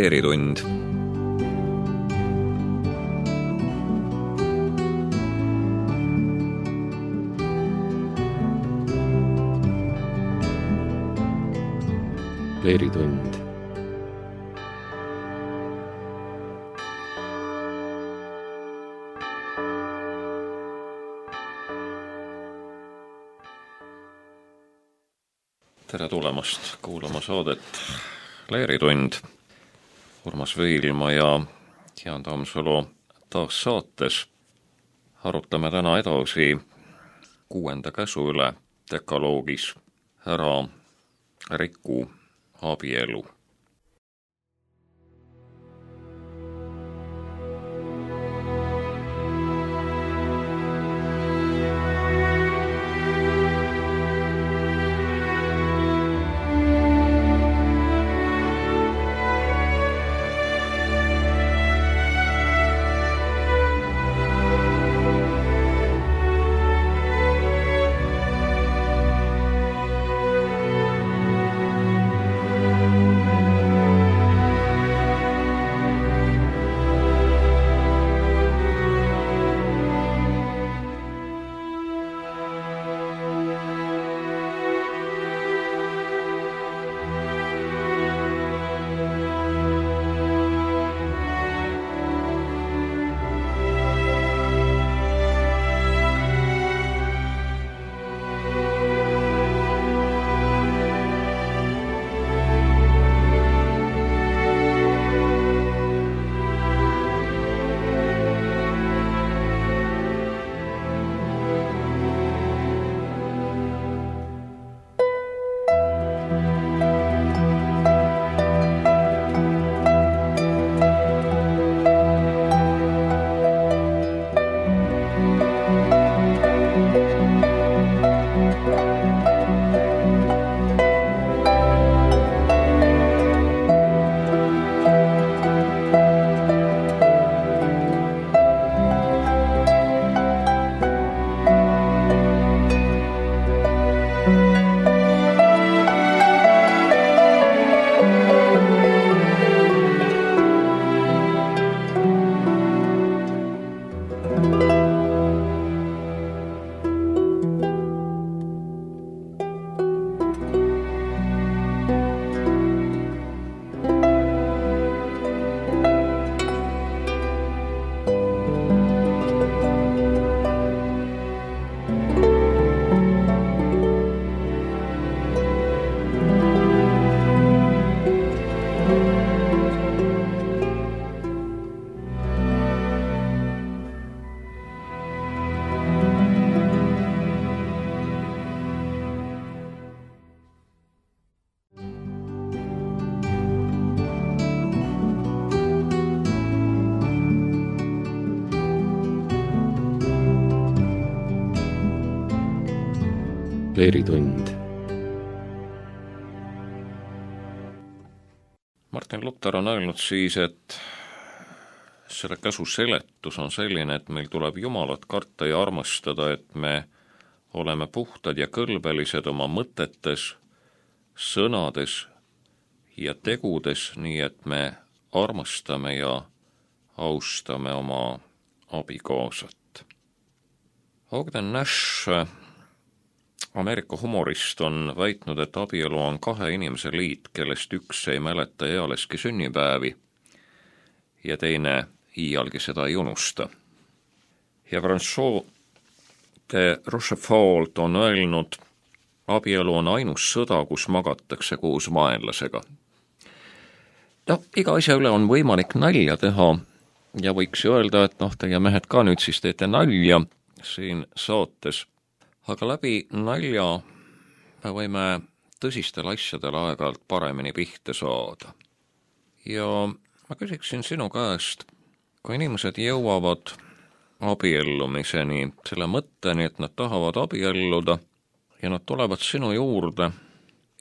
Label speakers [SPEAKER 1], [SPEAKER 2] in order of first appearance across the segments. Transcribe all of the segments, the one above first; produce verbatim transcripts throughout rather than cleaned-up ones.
[SPEAKER 1] Leeritund. Leeritund. Tere tulemast kuulama saadet Leeritund. Urmas Veilma ja Jaan Tammsalu taas saates. Arutame täna edasi kuuenda käsu üle dekaloogis: ära riku abielu. Leeritund. Martin Luther on öelnud siis, et selle käsu seletus on selline, et meil tuleb Jumalat karta ja armastada, et me oleme puhtad ja kõlbelised oma mõtetes, sõnades ja tegudes, nii et me armastame ja austame oma abikaasat. Ogden Nash, Ameerika humorist, on väitnud, et abielu on kahe inimese liit, kellest üks ei mäleta ealeski sünnipäevi ja teine iialgi seda ei unusta. Ja François de Rochefort on öelnud, abielu on ainus sõda, kus magatakse koos vaenlasega. No, iga asja üle on võimalik nalja teha ja võiks ju öelda, et noh, teie mehed ka nüüd siis teete nalja siin saates. Aga läbi nalja me võime tõsistel asjadel aeg-ajalt paremini pihta saada. Ja ma küsiksin sinu käest, kui inimesed jõuavad abiellumiseni, selle mõtteni, et nad tahavad abielluda ja nad tulevad sinu juurde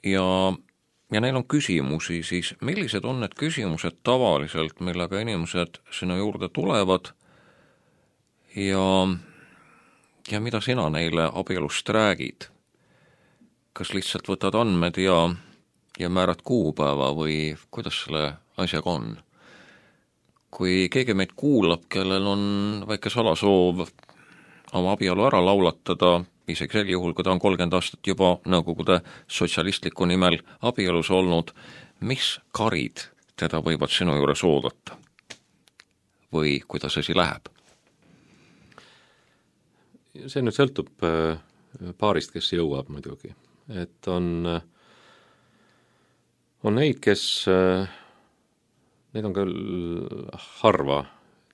[SPEAKER 1] ja, ja neil on küsimusi, siis millised on need küsimused tavaliselt, millega inimesed sinu juurde tulevad ja ja mida sina neile abielust räägid? Kas lihtsalt võtad andmed ja, ja määrad kuupäeva või kuidas selle asjaga on. Kui keegi meid kuulab, kellel on väike salasoov oma abielu ära laulatada, isegi sel juhul, kui ta on kolmkümmend aastat juba Nõukogude sotsialistliku nimel abielus olnud, mis karid teda võivad sinu juures oodata? Või kuidas asi läheb?
[SPEAKER 2] See nüüd sõltub paarist, kes jõuab muidugi. Et on, on neid, kes, neid on küll harva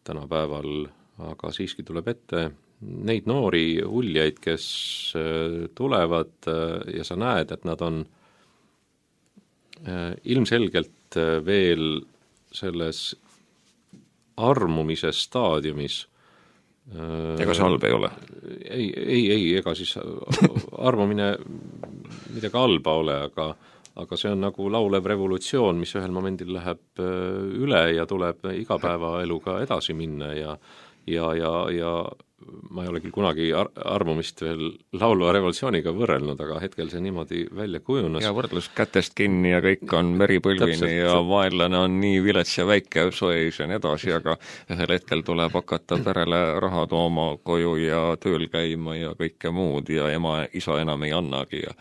[SPEAKER 2] tänapäeval, aga siiski tuleb ette neid noori uljaid, kes tulevad ja sa näed, et nad on ilmselgelt veel selles armumise staadiumis.
[SPEAKER 1] Ega see halb ei ole?
[SPEAKER 2] Ei, ei, ei, ega siis armumine midagi halba ole, aga, aga see on nagu laulev revolutsioon, mis ühel momendil läheb üle ja tuleb igapäevaeluga edasi minna ja ja, ja, ja ma ei ole küll kunagi ar- armumist veel laulva revolutsiooniga võrrelnud, aga hetkel see niimoodi välja kujunes.
[SPEAKER 1] Ja võrdlus kätest kinni ja kõik on meripõlvini ja vaenlane on nii vilets ja väike soeis ja nii edasi, aga ühel hetkel tuleb hakata perele raha tooma koju ja tööl käima ja kõike muud ja ema, isa enam ei annagi. Ja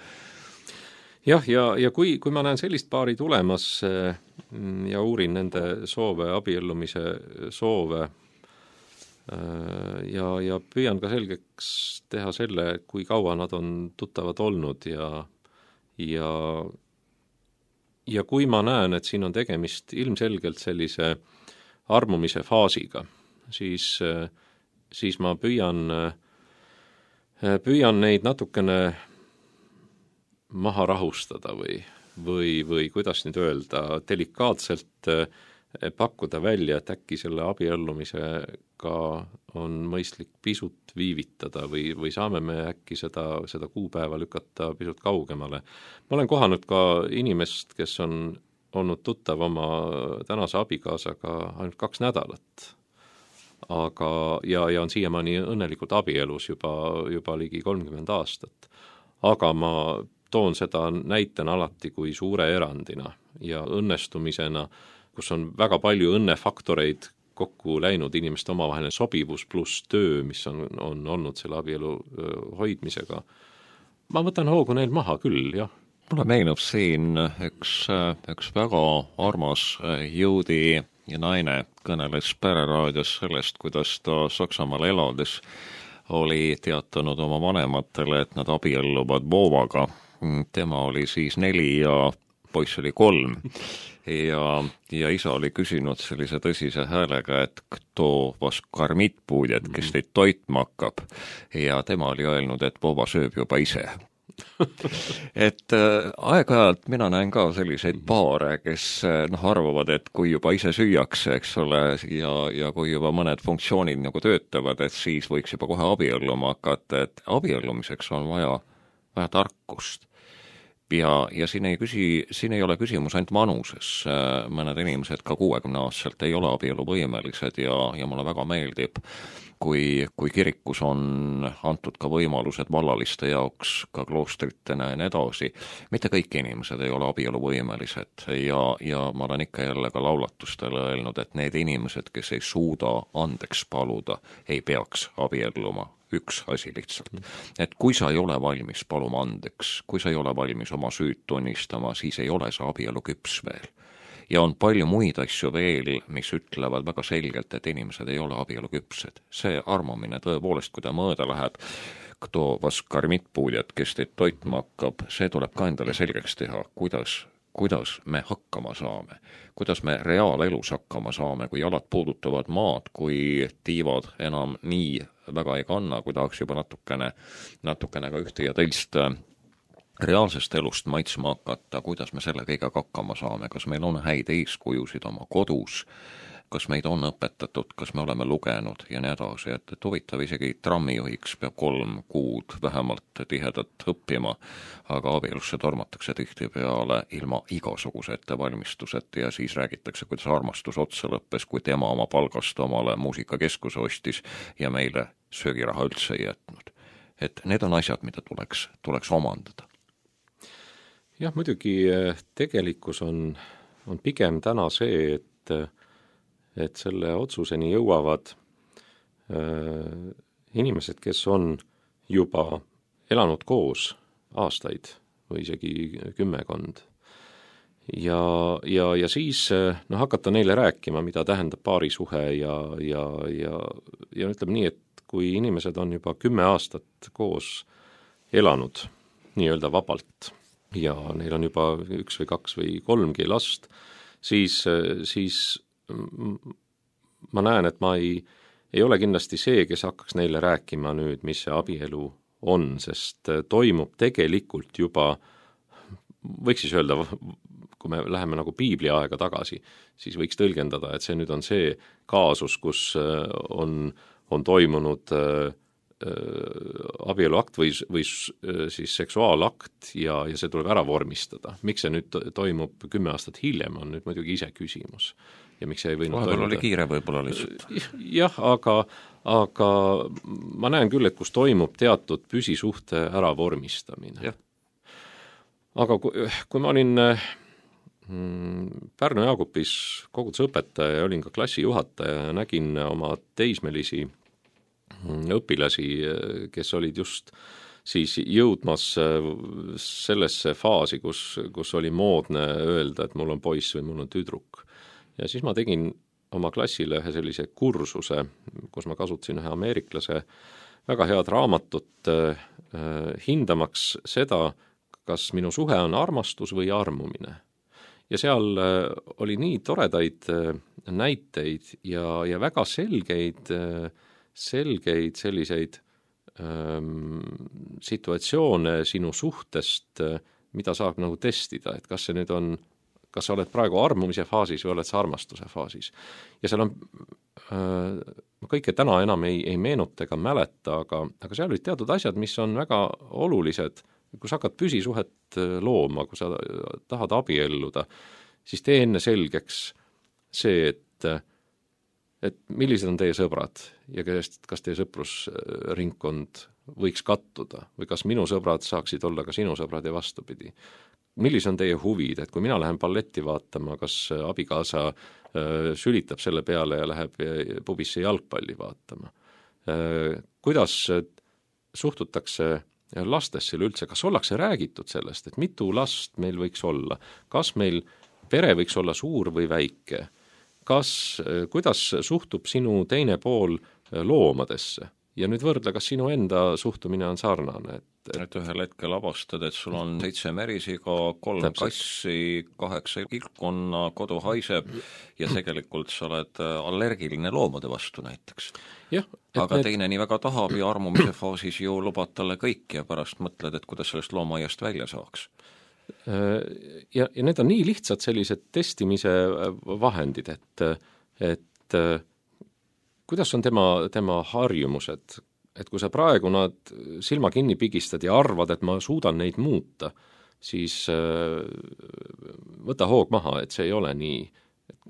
[SPEAKER 2] jah, ja, ja kui, kui ma näen sellist paari tulemas ja uurin nende soove, abiellumise soove, ja, ja püüan ka selgeks teha selle, kui kaua nad on tuttavad olnud ja, ja, ja kui ma näen, et siin on tegemist ilmselgelt sellise armumise faasiga, siis, siis ma püüan, püüan neid natukene maha rahustada või, või, või kuidas nüüd öelda, delikaatselt pakkuda välja, et äkki selle abiellumisega on mõistlik pisut viivitada või, või saame me äkki seda, seda kuupäeva lükata pisut kaugemale. Ma olen kohanud ka inimest, kes on olnud tuttav oma tänase abikaasaga ainult kaks nädalat. Aga, ja, ja on siiamaani õnnelikult abielus juba, juba ligi kolmkümmend aastat. Aga ma toon seda näitena alati kui suure erandina ja õnnestumisena, kus on väga palju õnnefaktoreid kokku läinud, inimeste omavaheline sobivus pluss töö, mis on, on olnud selle abielu hoidmisega. Ma võtan hoogu neil maha küll, jah.
[SPEAKER 1] Mulle meenub siin üks, üks väga armas jõudi ja naine kõneles Pereraadios sellest, kuidas ta Saksamaal elades oli teatanud oma vanematele, et nad abielluvad Vovaga. Tema oli siis neli ja poiss oli kolm. Ja, ja isa oli küsinud sellise tõsise häälega, et kto vas karmit puudjad, kes teid toitma hakkab. Ja tema oli öelnud, et Vova sööb juba ise. et äh, aeg-ajalt mina näen ka selliseid paare, kes noh, arvavad, et kui juba ise süüakse, eks ole, ja, ja kui juba mõned funktsioonid nagu töötavad, et siis võiks juba kohe abielluma hakata, et abiellumiseks on vaja, vaja tarkust. Ja, ja siin ei küsi, siin ei ole küsimus ainult vanuses, mõned inimesed ka kuuekümne aastaselt ei ole abieluvõimelised ja, ja mulle väga meeldib, kui, kui kirikus on antud ka võimalused vallaliste jaoks, ka kloostritena ja nii edasi. Mitte kõik inimesed ei ole abieluvõimelised ja, ja ma olen ikka jälle ka laulatustele öelnud, et need inimesed, kes ei suuda andeks paluda, ei peaks abielluma. Üks asi lihtsalt. Et kui sa ei ole valmis paluma andeks, kui sa ei ole valmis oma süüd tunnistama, siis ei ole sa abielu küps veel. Ja on palju muid asju veel, mis ütlevad väga selgelt, et inimesed ei ole abielu küpsed. See armumine tõepoolest, kui ta mõõda läheb, kto vas karmit puudjad, kes teid toitma hakkab, see tuleb ka endale selgeks teha, kuidas kuidas me hakkama saame, kuidas me reaalelus hakkama saame, kui jalad puudutavad maad, kui tiivad enam nii väga ei kanna, kui tahaks juba natukene, natukene ka ühte ja teist reaalsest elust maitsma hakata, kuidas me selle kõigega hakkama saame, kas meil on häid eeskujusid oma kodus, kas meid on õpetatud, kas me oleme lugenud ja nii edasi, et, et huvitav isegi trammijuhiks peab kolm kuud vähemalt tihedat õppima, aga abielusse tormatakse tihtipeale ilma igasuguse ettevalmistuseta ja siis räägitakse, kuidas armastus otsa lõppes, kui tema oma palgast omale muusikakeskuse ostis ja meile söögiraha üldse ei jätnud. Et need on asjad, mida tuleks, tuleks omandada.
[SPEAKER 2] Jah, muidugi tegelikkus on on pigem täna see, et, et selle otsuseni jõuavad äh, inimesed, kes on juba elanud koos aastaid või isegi kümmekond. Ja, ja, ja siis no, hakata neile rääkima, mida tähendab paarisuhe ja, ja, ja, ja ütleme nii, et kui inimesed on juba kümme aastat koos elanud nii-öelda vabalt ja neil on juba üks või kaks või kolmgi last, siis, siis ma näen, et ma ei, ei ole kindlasti see, kes hakkaks neile rääkima nüüd, mis see abielu on, sest toimub tegelikult juba, võiks siis öelda, kui me läheme nagu piibli aega tagasi, siis võiks tõlgendada, et see nüüd on see kaasus, kus on, on toimunud äh, abieluakt või, või siis seksuaalakt ja, ja see tuleb ära vormistada. Miks see nüüd toimub kümme aastat hiljem, on nüüd muidugi ise küsimus. Ja miks see ei võinud
[SPEAKER 1] vahepeal oli kiire võib-olla lihtsalt.
[SPEAKER 2] Jah, aga, aga ma näen küll, et kus toimub teatud püsisuhte ära vormistamine.
[SPEAKER 1] Jah.
[SPEAKER 2] Aga kui, kui ma olin Pärnu Jaagupis kogudusõpetaja ja olin ka klassijuhataja ja nägin oma teismelisi õpilasi, kes olid just siis jõudmas sellesse faasi, kus, kus oli moodne öelda, et mul on poiss või mul on tüdruk. Ja siis ma tegin oma klassile ühe sellise kursuse, kus ma kasutasin ühe ameeriklase väga head raamatut äh, hindamaks seda, kas minu suhe on armastus või armumine. Ja seal äh, oli nii toredaid äh, näiteid ja, ja väga selgeid äh, selgeid selliseid ähm, situatsioone sinu suhtest, mida saab nagu testida, et kas see nüüd on, kas sa oled praegu armumise faasis või oled sa armastuse faasis. Ja seal on, äh, kõike täna enam ei, ei meenuta ega mäleta, aga, aga seal olid teatud asjad, mis on väga olulised, kui sa hakkad püsisuhet looma, kui sa tahad abielluda, siis tee enne selgeks see, et et millised on teie sõbrad ja kes, kas teie sõprusringkond võiks kattuda või kas minu sõbrad saaksid olla ka sinu sõbrad ja vastupidi. Millised on teie huvid, et kui mina lähen balletti vaatama, kas abikaasa äh, sülitab selle peale ja läheb pubisse jalgpalli vaatama. Äh, kuidas suhtutakse lastesse üldse, kas ollakse räägitud sellest, et mitu last meil võiks olla, kas meil pere võiks olla suur või väike, kas, kuidas suhtub sinu teine pool loomadesse ja nüüd võrdle, kas sinu enda suhtumine on sarnane. Et,
[SPEAKER 1] et, et ühel hetkel avastad, et sul on seitse märisiga, kolm täpselt. Kassi, kaheksa kilpkonna, kodu haiseb ja tegelikult sa oled allergiline loomade vastu näiteks.
[SPEAKER 2] Jah,
[SPEAKER 1] aga
[SPEAKER 2] need...
[SPEAKER 1] teine nii väga tahab ja armumise faasis ju lubad talle kõik ja pärast mõtled, et kuidas sellest loomaaiast välja saaks.
[SPEAKER 2] Ja, ja need on nii lihtsad sellised testimise vahendid, et, et kuidas on tema, tema harjumused, et kui sa praegu nad silma kinni pigistad ja arvad, et ma suudan neid muuta, siis võta hoog maha, et see ei ole nii.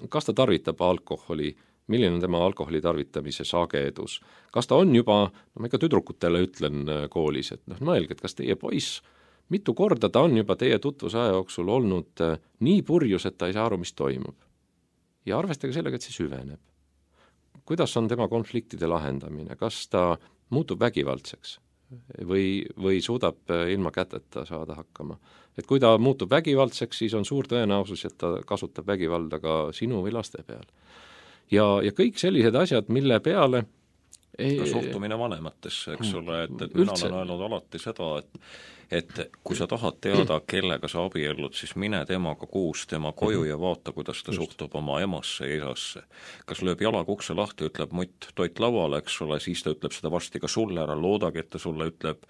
[SPEAKER 2] Kas ta tarvitab alkoholi, milline on tema alkoholi tarvitamise sagedus, kas ta on juba, no ma ikka tüdrukutele ütlen koolis, et noh, mõelge, et kas teie poiss mitu korda ta on juba teie tutvusaja jooksul olnud nii purjus, et ta ei saa aru, mis toimub. Ja arvestage sellega, et see süveneb. Kuidas on tema konfliktide lahendamine? Kas ta muutub vägivaldseks või, või suudab ilma käteta saada hakkama? Et kui ta muutub vägivaldseks, siis on suur tõenäosus, et ta kasutab vägivalda ka sinu või laste peal. Ja, ja kõik sellised asjad, mille peale
[SPEAKER 1] Ei, ka suhtumine vanematesse, eks ole, et, et mina olen öelnud alati seda, et et kui sa tahad teada, kellega sa abiellud, siis mine temaga kuus tema koju ja vaata, kuidas ta Just. suhtub oma emasse ja isasse. Kas lööb jalaga ukse lahti, ütleb mutt toit lauale, eks ole, siis ta ütleb seda varsti ka sulle ära, loodagi, et ta sulle ütleb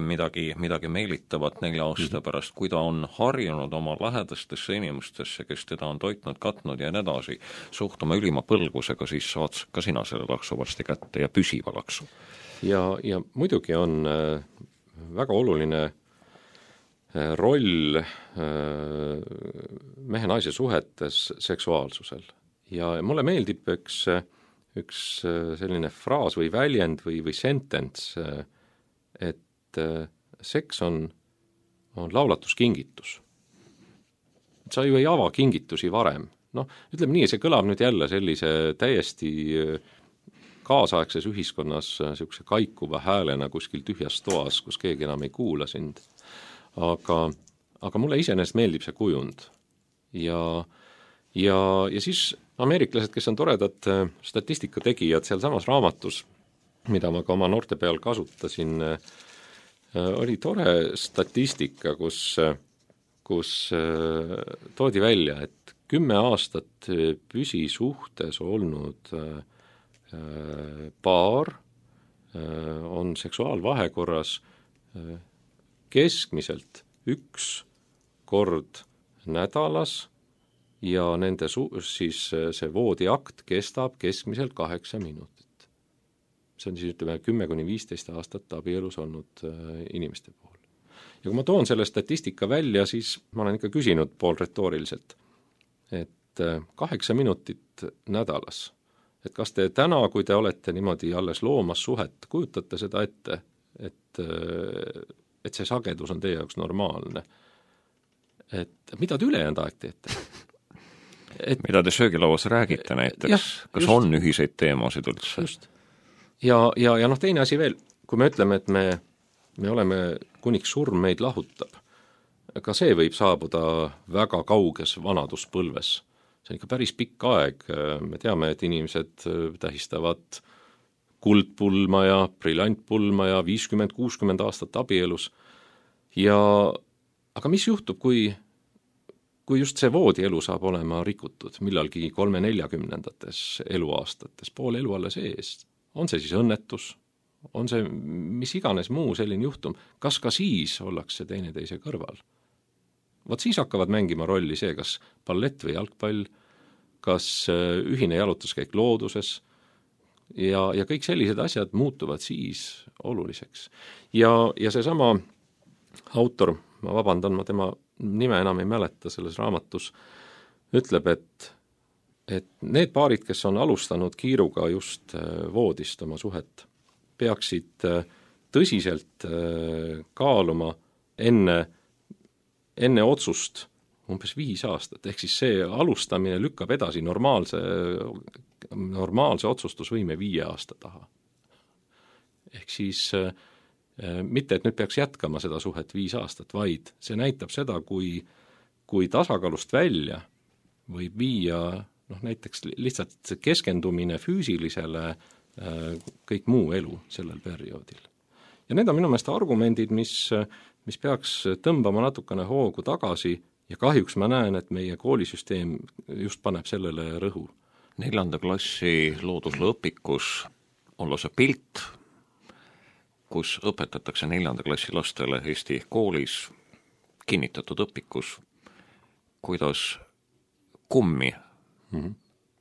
[SPEAKER 1] midagi, midagi meelitavat nelja aasta pärast, kui ta on harjunud oma lähedastesse inimestesse, kes teda on toitnud, katnud ja nii edasi, suhtuma ülima põlgusega, siis saad ka sina selle laksu varsti kätte ja püsiva laksu.
[SPEAKER 2] Ja, ja muidugi on väga oluline roll mehe-naise suhetes seksuaalsusel. Ja mulle meeldib üks, üks selline fraas või väljend või, või sentence, et seks on, on laulatuskingitus. sa ju ei ava kingitusi varem. Noh, ütleme nii, see kõlab nüüd jälle sellise täiesti kaasaegses ühiskonnas niisuguse kaikuva häälena kuskil tühjas toas, kus keegi enam ei kuula sind. Aga, aga mulle iseenesest meeldib see kujund. Ja, ja, ja siis ameeriklased, kes on toredad statistikategijad seal samas raamatus, mida ma ka oma noorte peal kasutasin, oli tore statistika, kus, kus toodi välja, et kümme aastat püsisuhtes olnud paar on seksuaalvahekorras keskmiselt üks kord nädalas ja nende su- siis see voodiakt kestab keskmiselt kaheksa minutit. See on siis ütleme kümme kuni viisteist aastat abielus olnud inimeste puhul. Ja kui ma toon selle statistika välja, siis ma olen ikka küsinud pool retooriliselt, et kaheksa minutit nädalas, et kas te täna, kui te olete niimoodi alles loomas suhet, kujutate seda ette, et, et see sagedus on teie jaoks normaalne? Et mida te ülejäänud aeg teete?
[SPEAKER 1] Et, mida te söögilauas räägite näiteks? Jah, kas just, on ühiseid teemasid üldse?
[SPEAKER 2] Just. Ja, ja, ja noh, teine asi veel, kui me ütleme, et me, me oleme kuniks surm meid lahutab, ka see võib saabuda väga kauges vanaduspõlves. See on ikka päris pikk aeg, me teame, et inimesed tähistavad kuldpulma ja briljantpulma ja viiskümmend kuuskümmend aastat abielus. Ja, aga mis juhtub, kui, kui just see voodielu saab olema rikutud millalgi kolme neljakümnendates eluaastates, pool elu alles ees? On see siis õnnetus, on see mis iganes muu selline juhtum, kas ka siis ollakse teineteise kõrval? Vot siis hakkavad mängima rolli see, kas ballett või jalgpall, kas ühine jalutuskäik looduses ja, ja kõik sellised asjad muutuvad siis oluliseks. Ja, ja see sama autor, ma vabandan, ma tema nime enam ei mäleta selles raamatus, ütleb, et et need paarid, kes on alustanud kiiruga just voodist oma suhet, peaksid tõsiselt kaaluma enne, enne otsust umbes viis aastat, ehk siis see alustamine lükkab edasi normaalse, normaalse otsustusvõime viie aasta taha. Ehk siis mitte, et nüüd peaks jätkama seda suhet viis aastat, vaid see näitab seda, kui, kui tasakaalust välja võib viia noh, näiteks lihtsalt keskendumine füüsilisele kõik muu elu sellel perioodil. Ja need on minu meelest argumendid, mis, mis peaks tõmbama natukene hoogu tagasi ja kahjuks ma näen, et meie koolisüsteem just paneb sellele rõhu.
[SPEAKER 1] Neljanda klassi loodusõpikus on lausa pilt, kus õpetatakse neljanda klassi lastele Eesti koolis kinnitatud õpikus, kuidas kummi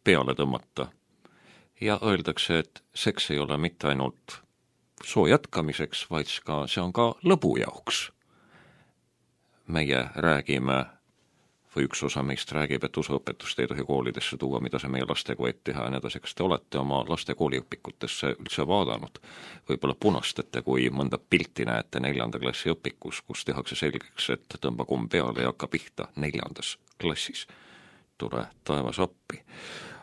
[SPEAKER 1] peale tõmmata ja öeldakse, et seks ei ole mitte ainult soo jätkamiseks, vaid ka, see on ka lõbu jaoks. Meie räägime, või üks osa meist räägib, et usuõpetust ei tohi koolidesse tuua, mida see meie lastega võib teha ja nii edasi. Kas te olete oma laste kooliõpikutesse üldse vaadanud? Võib-olla punastate, kui mõnda pilti näete neljanda klassi õpikus, kus tehakse selgeks, et tõmba kumm peale ja hakka pihta neljandas klassis. Tule taevas appi.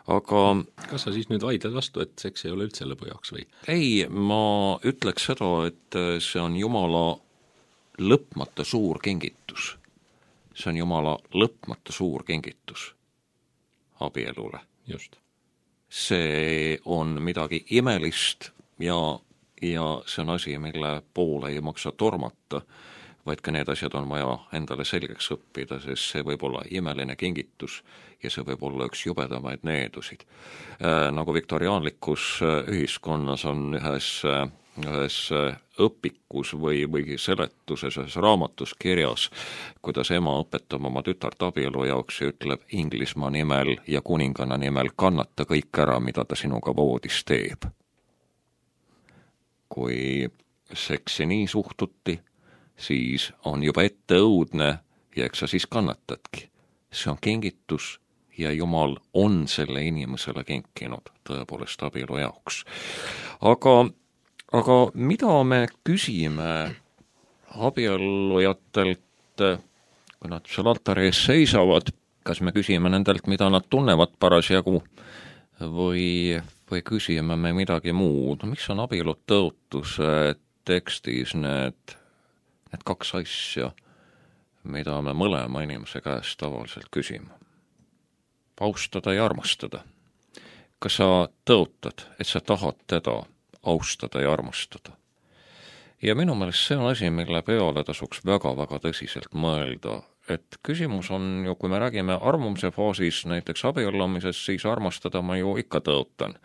[SPEAKER 1] Aga
[SPEAKER 2] kas sa siis nüüd vaidled vastu, et seks ei ole üldse lõbu jaoks või?
[SPEAKER 1] Ei, ma ütleks seda, et see on Jumala lõpmata suur kingitus. See on Jumala lõpmata suur kingitus abielule.
[SPEAKER 2] Just.
[SPEAKER 1] See on midagi imelist ja, ja see on asi, mille poole ei maksa tormata, vaid ka need asjad on vaja endale selgeks õppida, sest see võib olla imeline kingitus ja see võib olla üks jubedamaid needusid. Äh, nagu viktoriaanlikus ühiskonnas on ühes, ühes õpikus või, või seletuses, ühes raamatus kirjas, kuidas ema õpetab oma tütart abielu jaoks ja ütleb Inglismaa nimel ja kuninganna nimel kannata kõik ära, mida ta sinuga voodis teeb. Kui seksi nii suhtuti, siis on juba ette õudne ja eks sa siis kannatadki. See on kingitus ja Jumal on selle inimesele kinkinud tõepoolest abielu jaoks. Aga, aga mida me küsime abiellujatelt kui nad seal altari ees seisavad, kas me küsime nendelt, mida nad tunnevad parasjagu või, või küsime me midagi muud. Miks on abielu tõotuse tekstis need, need kaks asja, mida me mõlema inimese käest tavaliselt küsime? Austada ja armastada. Kas sa tõotad, et sa tahad teda austada ja armastada? Ja minu meelest see on asi, mille peale tasuks väga-väga tõsiselt mõelda, et küsimus on ju, kui me räägime armumuse faasis näiteks abiellumisest, siis armastada ma ju ikka tõotan.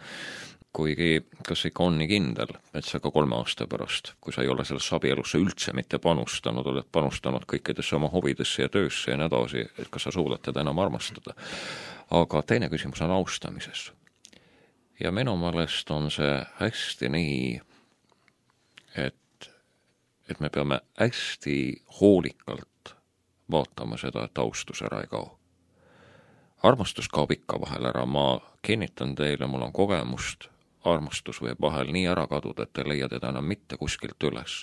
[SPEAKER 1] Kuigi kas ikka on nii kindel, et sa ka kolme aasta pärast, kui sa ei ole sellesse abielusse üldse mitte panustanud, oled panustanud kõikidesse oma huvidesse ja töösse ja nii edasi, et kas sa suudad teda enam armastada. Aga teine küsimus on austamises. Ja minu meelest on see hästi nii, et, et me peame hästi hoolikalt vaatama seda, et austus ära ei kao. Armastus kaob ikka vahel ära, ma kinnitan teile, mul on kogemust, armastus võib vahel nii ära kaduda, et te leia teda enam mitte kuskilt üles,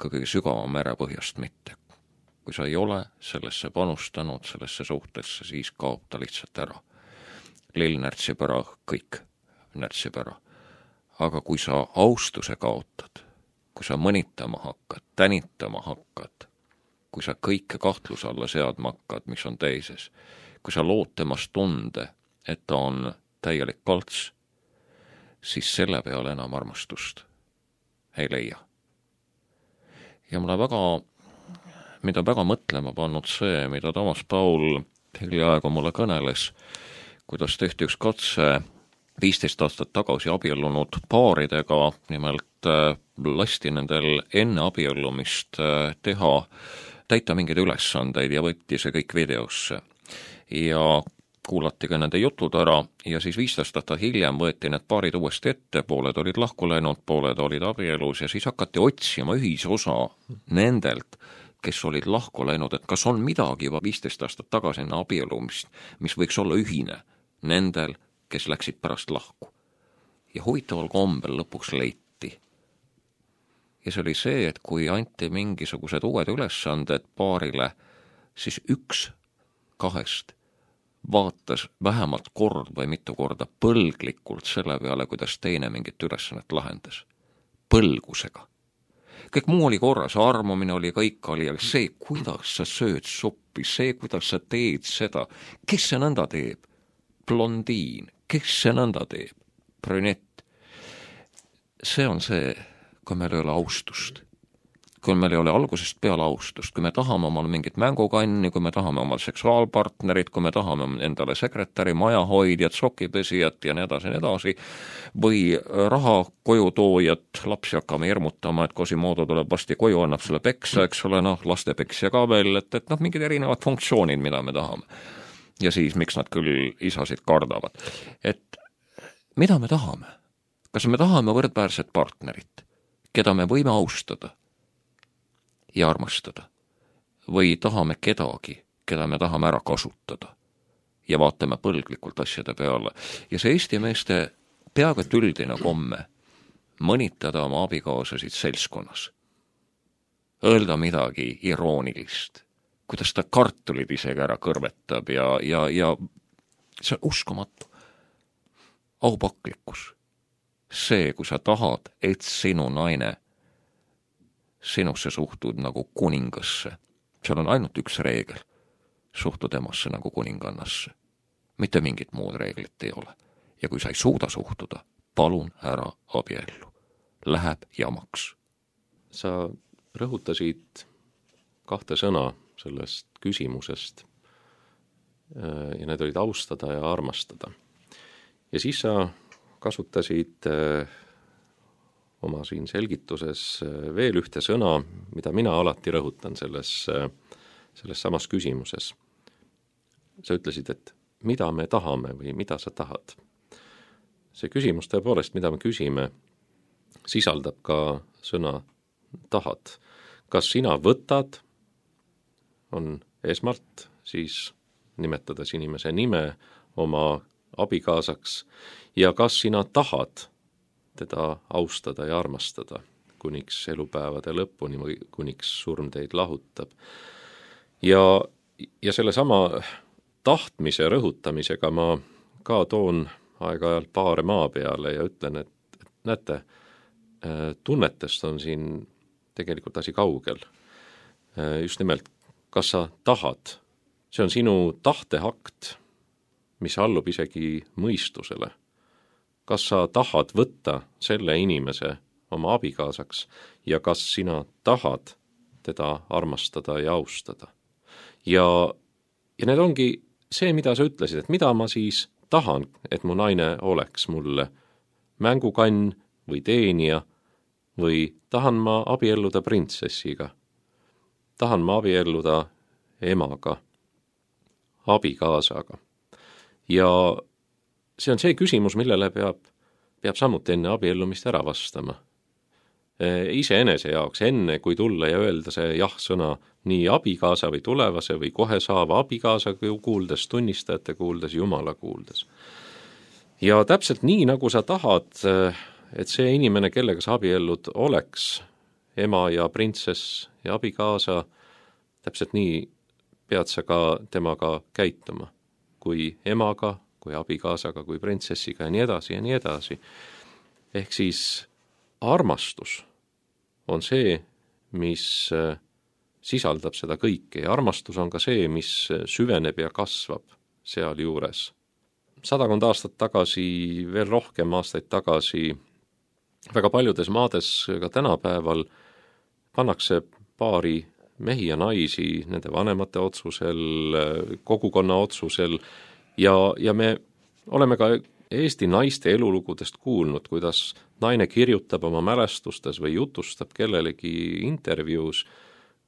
[SPEAKER 1] kõige sügava merepõhjast mitte. Kui sa ei ole sellesse panustanud, sellesse suhtesse, siis kaob ta lihtsalt ära. Lill närtsib ära, kõik närtsib ära. Aga kui sa austuse kaotad, kui sa mõnitama hakkad, tänitama hakkad, kui sa kõike kahtluse alla seadma hakkad, mis on teises, kui sa lood temast tunde, et ta on täielik kalts, siis selle peale enam armastust ei leia. Ja mulle väga, mida väga mõtlema pannud see, mida Toomas Paul hiljaaegu mulle kõneles, kuidas tehti üks katse viisteist aastat tagasi abiellunud paaridega, nimelt lasti nendel enne abiellumist teha, täita mingeid ülesandeid ja võtti see kõik videosse. Ja kuulati ka nende jutud ära ja siis viisteist aastat hiljem võeti need paarid uuesti ette, pooled olid lahku läinud, pooled olid abielus ja siis hakati otsima ühisosa nendelt, kes olid lahku läinud, et kas on midagi juba viisteist aastat tagasi enne abiellumist, mis võiks olla ühine nendel, kes läksid pärast lahku. Ja huvitaval kombel lõpuks leiti. Ja see oli see, et kui anti mingisugused uued ülesanded paarile, siis üks kahest vaatas vähemalt kord või mitu korda põlglikult selle peale, kuidas teine mingit ülesannet lahendas. Põlgusega. Kõik muu oli korras, armumine oli, kõik oli, aga see, kuidas sa sööd suppi, see, kuidas sa teed seda, kes see nõnda teeb? Blondiin, kes see nõnda teeb? Brünett. See on see, kui meil ei ole austust, kui meil ei ole algusest peale austust, kui me tahame omal mingit mängukanni, kui me tahame omal seksuaalpartnerit, kui me tahame endale sekretäri, majahoidjat, sokipesijat ja nii edasi, nii edasi, või raha koju toojat, lapsi hakkame hirmutama, et Quasimodo tuleb vasti koju, annab sulle peksa, eks ole, noh, lastepeksja ka veel, et, et noh, mingid erinevad funktsioonid, mida me tahame. Ja siis, miks nad küll isasid kardavad. Et mida me tahame? Kas me tahame võrdväärset partnerit, keda me võime austada ja armastada, või tahame kedagi, keda me tahame ära kasutada ja vaatame põlglikult asjade peale. Ja see Eesti meeste peaaegu et üldine komme mõnitada oma abikaasasid seltskonnas, öelda midagi iroonilist, kuidas ta kartulid isegi ära kõrvetab ja, ja, ja see on uskumatu. Aupaklikkus. See, kui sa tahad, et sinu naine sinusse suhtud nagu kuningasse. Seal on ainult üks reegel. Suhtu temasse nagu kuningannasse. Mitte mingit muud reeglit ei ole. Ja kui sa ei suuda suhtuda, palun ära abiellu. Läheb jamaks.
[SPEAKER 2] Sa rõhutasid kahte sõna sellest küsimusest ja need olid austada ja armastada. Ja siis sa kasutasid oma siin selgituses veel ühte sõna, mida mina alati rõhutan selles, selles samas küsimuses. Sa ütlesid, et mida me tahame või mida sa tahad. See küsimus tõepoolest, mida me küsime, sisaldab ka sõna tahad. Kas sina võtad, on esmalt siis nimetades inimese nime oma abikaasaks ja kas sina tahad teda austada ja armastada kuniks elupäevade lõpuni või kuniks surm teid lahutab. ja, ja selle sama tahtmise rõhutamisega ma ka toon aeg-ajalt paare maa peale ja ütlen, et, et näete, tunnetest on siin tegelikult asi kaugel. Just nimelt, kas sa tahad, see on sinu tahteakt, mis allub isegi mõistusele. Kas sa tahad võtta selle inimese oma abikaasaks ja kas sina tahad teda armastada ja austada. Ja, ja need ongi see, mida sa ütlesid, et mida ma siis tahan, et mu naine oleks mulle mängukann või teenija või tahan ma abielluda printsessiga, tahan ma abielluda emaga, abikaasaga. Ja see on see küsimus, millele peab, peab samuti enne abiellumist ära vastama. Iseenese jaoks, enne kui tulla ja öelda see jah-sõna nii abikaasa või tulevase või kohe saava abikaasa kuuldes, tunnistajate kuuldes, Jumala kuuldes. Ja täpselt nii, nagu sa tahad, et see inimene, kellega sa abiellud, oleks ema ja printsess ja abikaasa, täpselt nii pead sa ka temaga käituma, kui emaga, kui abikaasaga, kui printsessiga ja nii edasi ja nii edasi. Ehk siis armastus on see, mis sisaldab seda kõike ja armastus on ka see, mis süveneb ja kasvab seal juures. Sadakond aastat tagasi, veel rohkem aastaid tagasi, väga paljudes maades ka tänapäeval pannakse paari mehi ja naisi nende vanemate otsusel, kogukonna otsusel ja, ja me oleme ka Eesti naiste elulugudest kuulnud, kuidas naine kirjutab oma mälestustes või jutustab kellelegi intervjuus,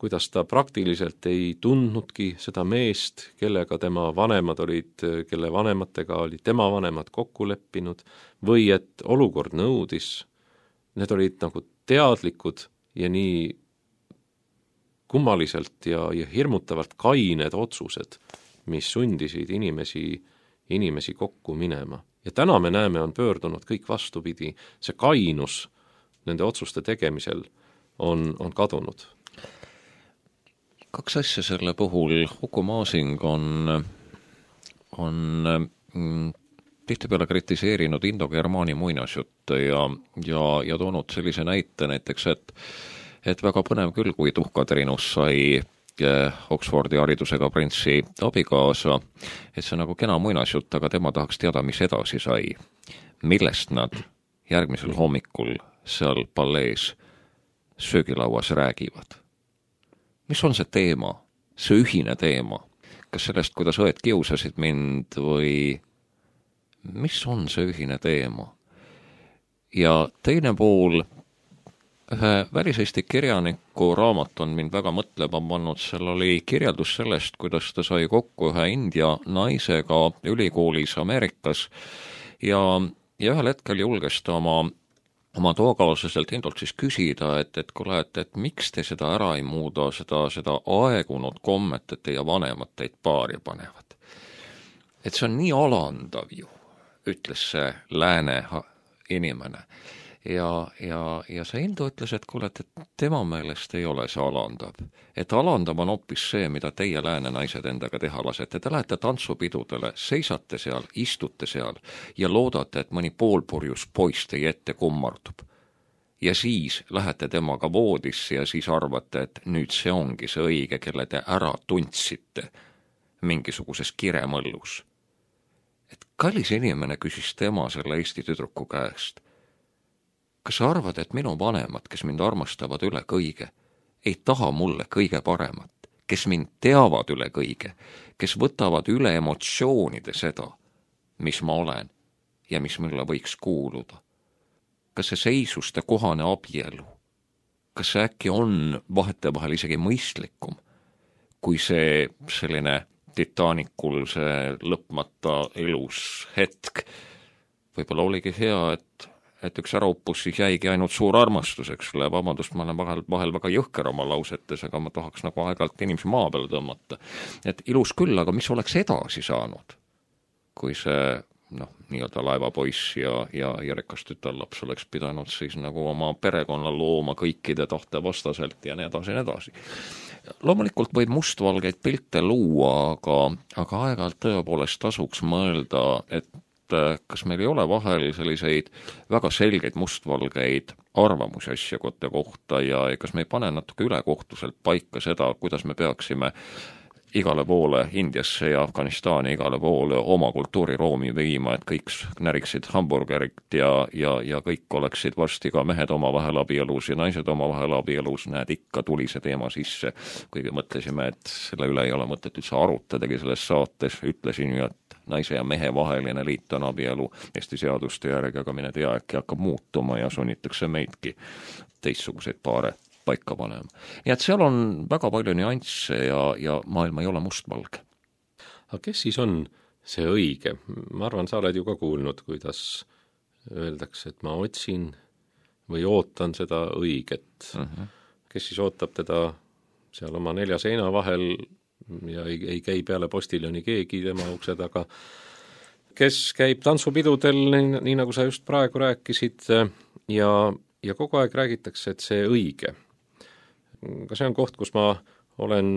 [SPEAKER 2] kuidas ta praktiliselt ei tundnudki seda meest, kellega tema vanemad olid, kelle vanematega olid tema vanemad kokku leppinud, või et olukord nõudis, need olid nagu teadlikud ja nii kummaliselt ja, ja hirmutavalt kained otsused, mis sundisid inimesi, inimesi kokku minema. Ja täna me näeme, on pöördunud kõik vastupidi. See kainus nende otsuste tegemisel on, on kadunud.
[SPEAKER 1] Kaks asja selle puhul. Uku Masing on, on mm, tihtipeale kritiseerinud indogermaani muinasjutte ja, ja, ja toonud sellise näite näiteks, et, et väga põnev küll, kui Tuhkatrinus sai Oxfordi haridusega printsi abikaasa, et see on nagu kena muinasjutt, aga tema tahaks teada, mis edasi sai. Millest nad järgmisel hommikul seal pallees söögilauas räägivad. Mis on see teema, see ühine teema? Kas sellest, kuidas õed kiusasid mind või mis on see ühine teema? Ja teine pool, ühe väliseesti kirjaniku raamat on mind väga mõtlema pannud, seal oli kirjeldus sellest, kuidas ta sai kokku ühe India naisega ülikoolis Ameerikas ja, ja ühel hetkel julges ta oma, oma tookaaslaselt Indolt siis küsida, et, et kuule, et, et miks te seda ära ei muuda, seda, seda aegunud kommet, et teie vanemad teid paari panevad. Et see on nii alandav ju, ütles see lääne inimene. Ja, ja, ja see Indo ütles, et kuule, et tema meelest ei ole see alandav. Et alandav on hoopis see, mida teie lääne naised endaga teha lasete. Te lähete tantsupidudele, seisate seal, istute seal ja loodate, et mõni poolpurjus poiss teie ette kummardub. Ja siis lähete temaga voodisse ja siis arvate, et nüüd see ongi see õige, kelle te ära tundsite mingisuguses kiremõllus. Et kallis inimene küsis tema selle Eesti tüdruku käest. Kas sa arvad, et minu vanemad, kes mind armastavad üle kõige, ei taha mulle kõige paremat, kes mind teavad üle kõige, kes võtavad üle emotsioonide seda, mis ma olen ja mis mulle võiks kuuluda? Kas see seisuste kohane abielu? Kas see äkki on vahetevahel isegi mõistlikum, kui see selline Titanicul see lõpmata elus hetk? Võib-olla oligi hea, et et üks äraupus siis jäigi ainult suur armastuseks. Vabandust, ma olen vahel, vahel väga jõhker oma lausetes, aga ma tahaks nagu aeg-ajalt inimesi maa peale tõmmata. Et ilus küll, aga mis oleks edasi saanud, kui see noh, nii-öelda laevapoiss ja, ja, ja rikas tütarlaps oleks pidanud siis nagu oma perekonna looma kõikide tahte vastaselt ja nii edasi, nii edasi. Loomulikult võib mustvalgeid pilte luua, aga, aga aeg-ajalt tõepoolest tasuks mõelda, et kas meil ei ole vahel selliseid väga selgeid mustvalgeid arvamusi asjakotte kohta ja kas me ei pane natuke ülekohtuselt paika seda, kuidas me peaksime igale poole Indiasse ja Afganistani igale poole oma kultuuriroomi viima, et kõik näriksid hamburgerit ja, ja, ja kõik oleksid varsti ka mehed oma vahel abielus ja naised oma vahel abielus, näed, ikka tuli see teema sisse, kuigi mõtlesime, et selle üle ei ole mõtet üldse arutadagi selles saates, ütlesin ju, et naise ja mehe vaheline liit on abielu Eesti seaduste järgi, aga mine tea, äkki hakkab muutuma ja sunnitakse meidki teistsuguseid paare paika panema. Nii et seal on väga palju nüansse ja, ja maailm ei ole mustvalge.
[SPEAKER 2] Aga kes siis on see õige? Ma arvan, sa oled ju ka kuulnud, kuidas öeldakse, et ma otsin või ootan seda õiget. Uh-huh. Kes siis ootab teda seal oma nelja seina vahel ja ei, ei käi peale postiljoni keegi tema ukse taga. Kes käib tantsupidudel, nii, nii nagu sa just praegu rääkisid, ja, ja kogu aeg räägitakse, et see õige. Ka see on koht, kus ma olen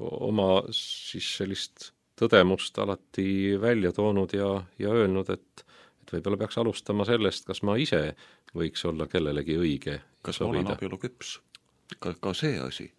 [SPEAKER 2] oma siis sellist tõdemust alati välja toonud ja, ja öelnud, et, et võib-olla peaks alustama sellest, kas ma ise võiks olla kellelegi õige.
[SPEAKER 1] Kas ma olen abielu küps? Ka, ka see asi.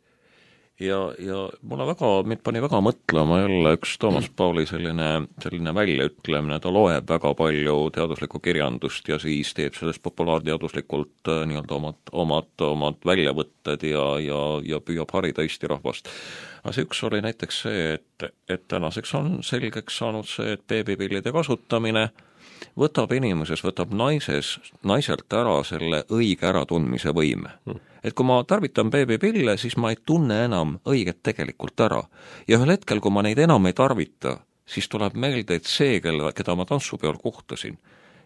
[SPEAKER 1] Ja, ja mulle väga, mind pani väga mõtlema jälle üks Toomas Pauli selline, selline väljaütlemine, ta loeb väga palju teaduslikku kirjandust ja siis teeb sellest populaarteaduslikult nii-öelda omad, omad, omad väljavõtted ja, ja, ja püüab harida Eesti rahvast. Aga see üks oli näiteks see, et, et tänaseks on selgeks saanud see, et beebipillide kasutamine võtab inimeses, võtab naises, naiselt ära selle õige äratundmise võime. Et kui ma tarvitan beebipille, siis ma ei tunne enam õiget tegelikult ära. Ja ühel hetkel, kui ma neid enam ei tarvita, siis tuleb meelde, et see, kelle, keda ma tantsupeol kohtasin,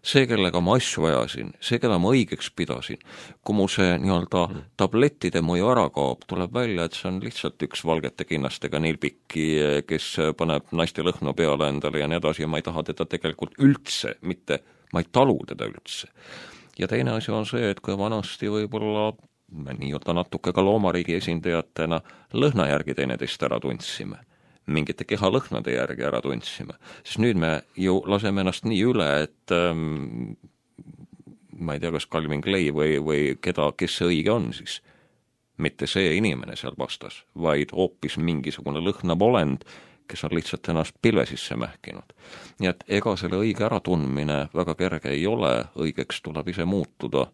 [SPEAKER 1] see, kellega ma asju ajasin, see, keda ma õigeks pidasin, kui mu see nii-öelda tablettide mõju ära kaob, tuleb välja, et see on lihtsalt üks valgete kinnastega nilbiki, kes paneb naiste lõhna peale endale ja nii edasi ja ma ei taha teda tegelikult üldse, mitte, ma ei talu teda üldse. Ja teine asi on see, et kui vanasti võib-olla me nii-öelda natuke ka loomariigi esindajatena lõhna järgi teineteist ära tundsime, mingite kehalõhnade järgi ära tundsime. Sest nüüd me ju laseme ennast nii üle, et ähm, ma ei tea, kas Calvin Clay või, või keda, kes see õige on siis. Mitte see inimene seal vastas, vaid hoopis mingisugune lõhnav olend, kes on lihtsalt ennast pilve sisse mähkinud. Nii et ega selle õige äratundmine väga kerge ei ole, õigeks tuleb ise muutuda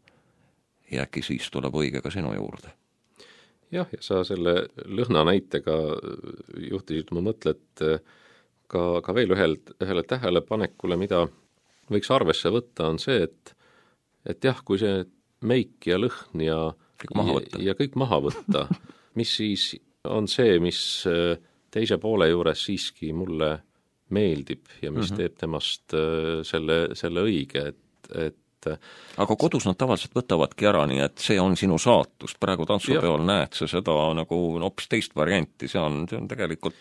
[SPEAKER 1] ja äkki siis tuleb õige ka sinu juurde.
[SPEAKER 2] Jah, ja sa selle lõhna näitega juhtisid oma mõtlet ka, ka veel ühel, ühele tähelepanekule, mida võiks arvesse võtta, on see, et, et jah, kui see meik ja lõhn ja
[SPEAKER 1] kõik maha võtta,
[SPEAKER 2] ja, ja kõik maha võtta mis siis on see, mis teise poole juures siiski mulle meeldib ja mis mm-hmm. teeb temast selle, selle õige, et, et
[SPEAKER 1] aga kodus nad tavaliselt võtavadki ära, nii et see on sinu saatus, praegu tantsupeol näed sa seda nagu hoopis teist varianti, see on, see on tegelikult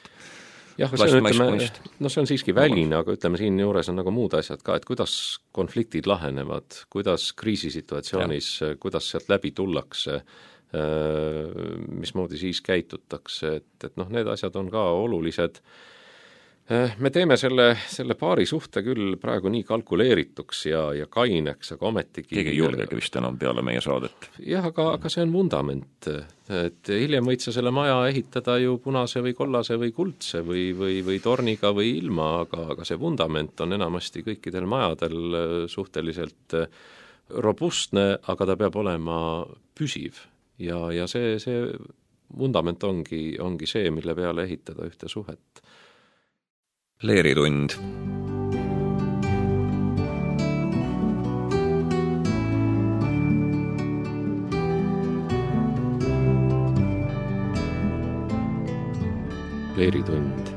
[SPEAKER 2] jah, see on, ütleme, no see on siiski väline, aga ütleme, siin juures on nagu muud asjad ka, et kuidas konfliktid lahenevad, kuidas kriisisituatsioonis, kuidas sealt läbi tullakse, mismoodi siis käitutakse, et, et noh, need asjad on ka olulised. Me teeme selle, selle paari suhte küll praegu nii kalkuleerituks ja, ja kaineks, aga ometigi
[SPEAKER 1] keegi ei julgegi vist enam peale meie saadet.
[SPEAKER 2] Jah, aga, aga see on vundament. Et hiljem võid sa selle maja ehitada ju punase või kollase või kuldse või, või, või torniga või ilma, aga, aga see vundament on enamasti kõikidel majadel suhteliselt robustne, aga ta peab olema püsiv. Ja, ja see, see vundament ongi, ongi see, mille peale ehitada ühte suhet.
[SPEAKER 1] Leeritund.
[SPEAKER 2] Leeritund.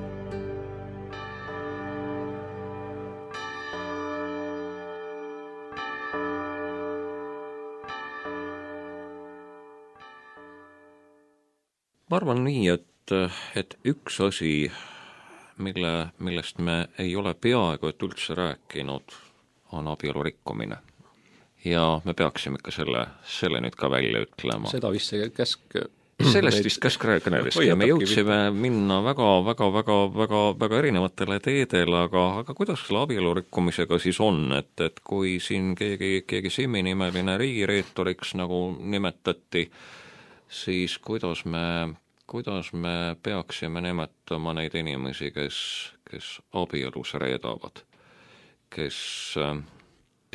[SPEAKER 1] Ma arvan nii, et, et üks asi mille, millest me ei ole peaaegu et üldse rääkinud, on abielu rikkumine. Ja me peaksime ikka selle, selle nüüd ka välja ütlema.
[SPEAKER 2] Seda vist see käsk
[SPEAKER 1] sellest vist käskräõkõnedeski ja me jõudsime minna väga, väga, väga, väga, väga erinevatele teedele, aga, aga kuidas selle abielu rikkumisega siis on, et, et kui siin keegi, keegi Simmi nimeline riigireetoriks nagu nimetati, siis kuidas me, kuidas me peaksime nimetama neid inimesi, kes, kes abielus reedavad, kes,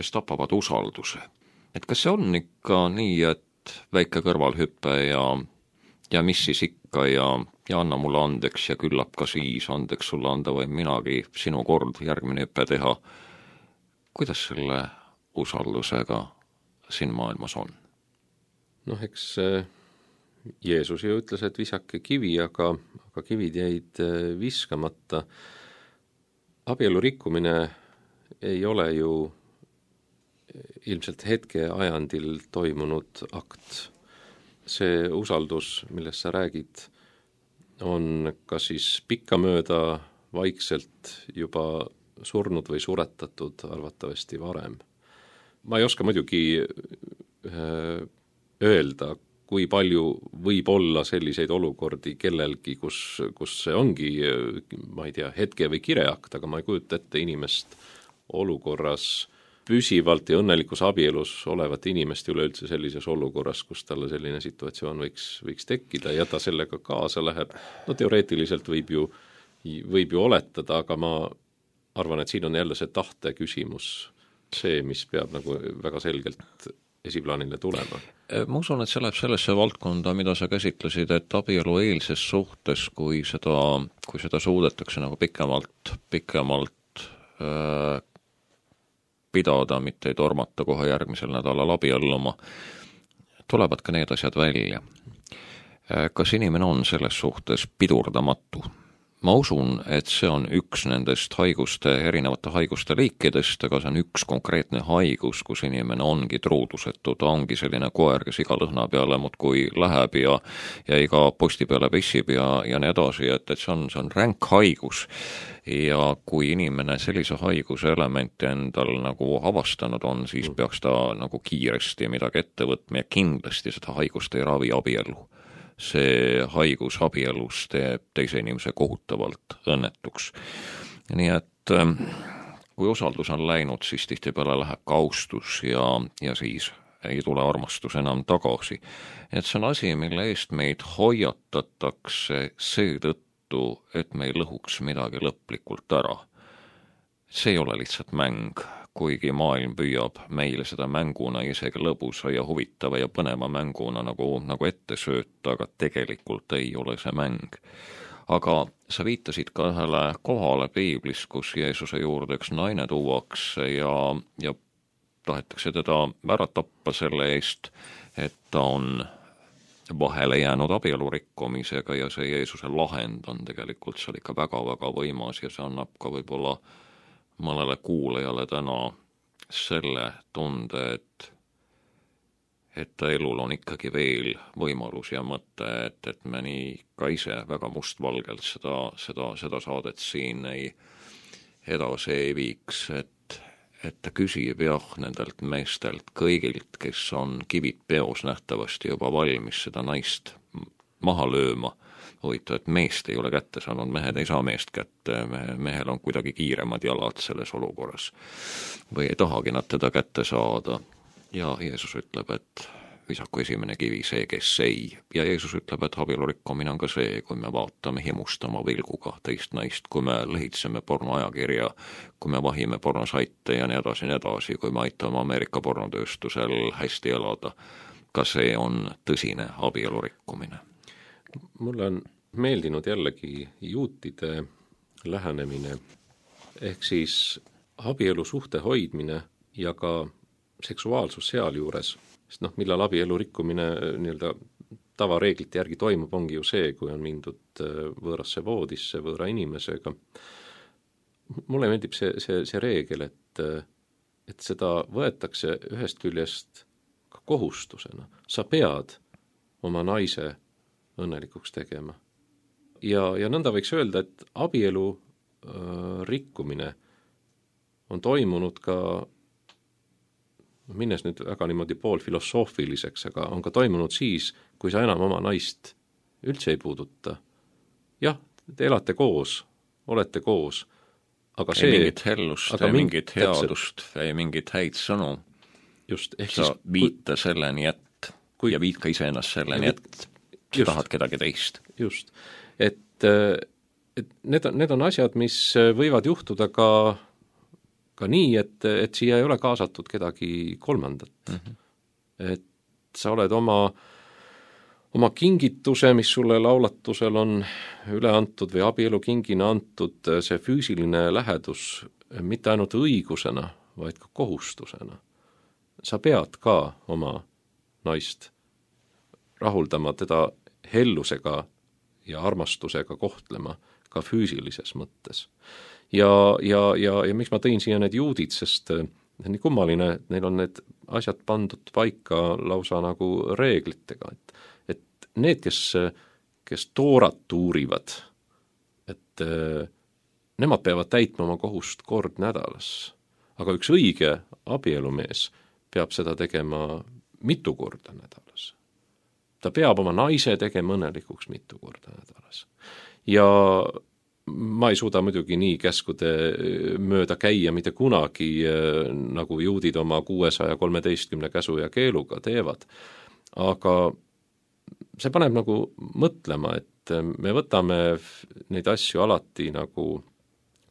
[SPEAKER 1] kes tapavad usalduse. Et kas see on ikka nii, et väike kõrvalhüppe ja ja mis siis ikka ja, ja anna mulle andeks ja küllap ka siis andeks sulle anda või minagi sinu kord järgmine hüppe teha. Kuidas selle usaldusega siin maailmas on?
[SPEAKER 2] Noh, eks Jeesus ju ütles, et visake kivi, aga, aga kivid jäid viskamata. Abielu rikkumine ei ole ju ilmselt hetke ajandil toimunud akt. See usaldus, millest sa räägid, on kas siis pikkamööda vaikselt juba surnud või suretatud arvatavasti varem. Ma ei oska muidugi öelda, kui palju võib olla selliseid olukordi kellelgi, kus, kus see ongi, ma ei tea, hetke või kireakt, aga ma ei kujuta ette inimest olukorras püsivalt ja õnnelikus abielus olevat inimest üleüldse sellises olukorras, kus talle selline situatsioon võiks, võiks tekkida ja ta sellega kaasa läheb. No teoreetiliselt võib ju, võib ju oletada, aga ma arvan, et siin on jälle see tahte küsimus, see, mis peab nagu väga selgelt esiplaanile tulema.
[SPEAKER 1] Ma usun, et see läheb sellesse valdkonda, mida sa käsitlesid, et abielu eelses suhtes, kui seda, kui seda suudetakse nagu pikemalt, pikemalt äh, pidada, mitte ei tormata kohe järgmisel nädalal abielluma, tulevad ka need asjad välja. Kas inimene on selles suhtes pidurdamatu? Ma usun, et see on üks nendest haiguste, erinevate haiguste liikidest, aga see on üks konkreetne haigus, kus inimene ongi truudusetu, ta ongi selline koer, kes iga lõhna peale muudkui läheb ja, ja iga posti peale pissib ja, ja nii edasi, et, et see on, see on ränk haigus. Ja kui inimene sellise haiguse elementi endal nagu avastanud on, siis peaks ta nagu kiiresti midagi ette võtma ja kindlasti seda haigust ei ravi abielu. See haigus abielus teeb teise inimese kohutavalt õnnetuks. Nii et kui usaldus on läinud, siis tihtipeale läheb ka austus ja, ja siis ei tule armastus enam tagasi. Et see on asi, mille eest meid hoiatatakse seetõttu, et me ei lõhuks midagi lõplikult ära. See ei ole lihtsalt mäng, kuigi maailm püüab meile seda mänguna isegi lõbusa ja huvitava ja põneva mänguna nagu, nagu ette sööta, aga tegelikult ei ole see mäng. Aga sa viitasid ka ühele kohale piiblis, kus Jeesuse juurde üks naine tuuakse ja, ja tahetakse teda ära tappa selle eest, et ta on vahele jäänud abielu rikkumisega ja see Jeesuse lahend on tegelikult seal ikka väga-väga võimas ja see annab ka võib-olla mõnele kuulajale täna selle tunde, et, et ta elul on ikkagi veel võimalus ja mõte, et, et me nii ka ise väga mustvalgelt seda, seda, seda saadet siin ei edasi ei viiks, et, et ta küsib jah nendelt meestelt kõigilt, kes on kivid peos nähtavasti juba valmis seda naist maha lööma. Huvitav, et meest ei ole kätte saanud, mehed ei saa meest kätte, mehel on kuidagi kiiremad jalad selles olukorras või ei tahagi nad teda kätte saada. Ja Jeesus ütleb, et visaku esimene kivi see, kes ei. Ja Jeesus ütleb, et abielu rikkumine on ka see, kui me vaatame himustama vilguga teist naist, kui me lehitseme pornoajakirja, kui me vahime pornosaite ja nii edasi, nii edasi, kui me aitame Ameerika pornotööstusel hästi elada. Ka see on tõsine abielu rikkumine.
[SPEAKER 2] Mulle on meeldinud jällegi juutide lähenemine, ehk siis abielu suhte hoidmine ja ka seksuaalsus sealjuures, sest noh, millal abielu rikkumine nii-öelda tavareeglite järgi toimub, ongi ju see, kui on mindud võõrasse voodisse võõra inimesega. Mulle meeldib see, see, see reegel, et, et seda võetakse ühest küljest ka kohustusena. Sa pead oma naise õnnelikuks tegema. Ja, ja nõnda võiks öelda, et abielu rikkumine on toimunud ka, minnes nüüd väga niimoodi poolfilosoofiliseks, aga on ka toimunud siis, kui sa enam oma naist üldse ei puuduta. Jah, te elate koos, olete koos, aga see...
[SPEAKER 1] Ei mingit hellust, ei mingit headust, ei mingit häid sõnu.
[SPEAKER 2] Just, ehk
[SPEAKER 1] sa
[SPEAKER 2] siis,
[SPEAKER 1] viita kui, selleni, et kui, ja viid ka ise ennast selleni, et sa tahad kedagi teist.
[SPEAKER 2] Just, et, et need, on, need on asjad, mis võivad juhtuda ka, ka nii, et, et siia ei ole kaasatud kedagi kolmandat. Mm-hmm. Et sa oled oma, oma kingituse, mis sulle laulatusel on üle antud või abielu kingina antud, see füüsiline lähedus mitte ainult õigusena, vaid ka kohustusena. Sa pead ka oma naist rahuldama, teda hellusega ja armastusega kohtlema ka füüsilises mõttes. Ja, ja, ja, ja miks ma tõin siia need juudid, sest nii kummaline, et neil on need asjad pandud paika lausa nagu reeglitega, et, et need, kes, kes toorat tuurivad, et nemad peavad täitma oma kohust kord nädalas, aga üks õige abielumees peab seda tegema mitu korda nädalas. Ta peab oma naise tegema õnnelikuks mitu korda nädalas. Ja ma ei suuda muidugi nii käskude mööda käia mitte kunagi, nagu juudid oma kuuesaja kolmeteistkümne käsu ja keeluga teevad. Aga see paneb nagu mõtlema, et me võtame neid asju alati nagu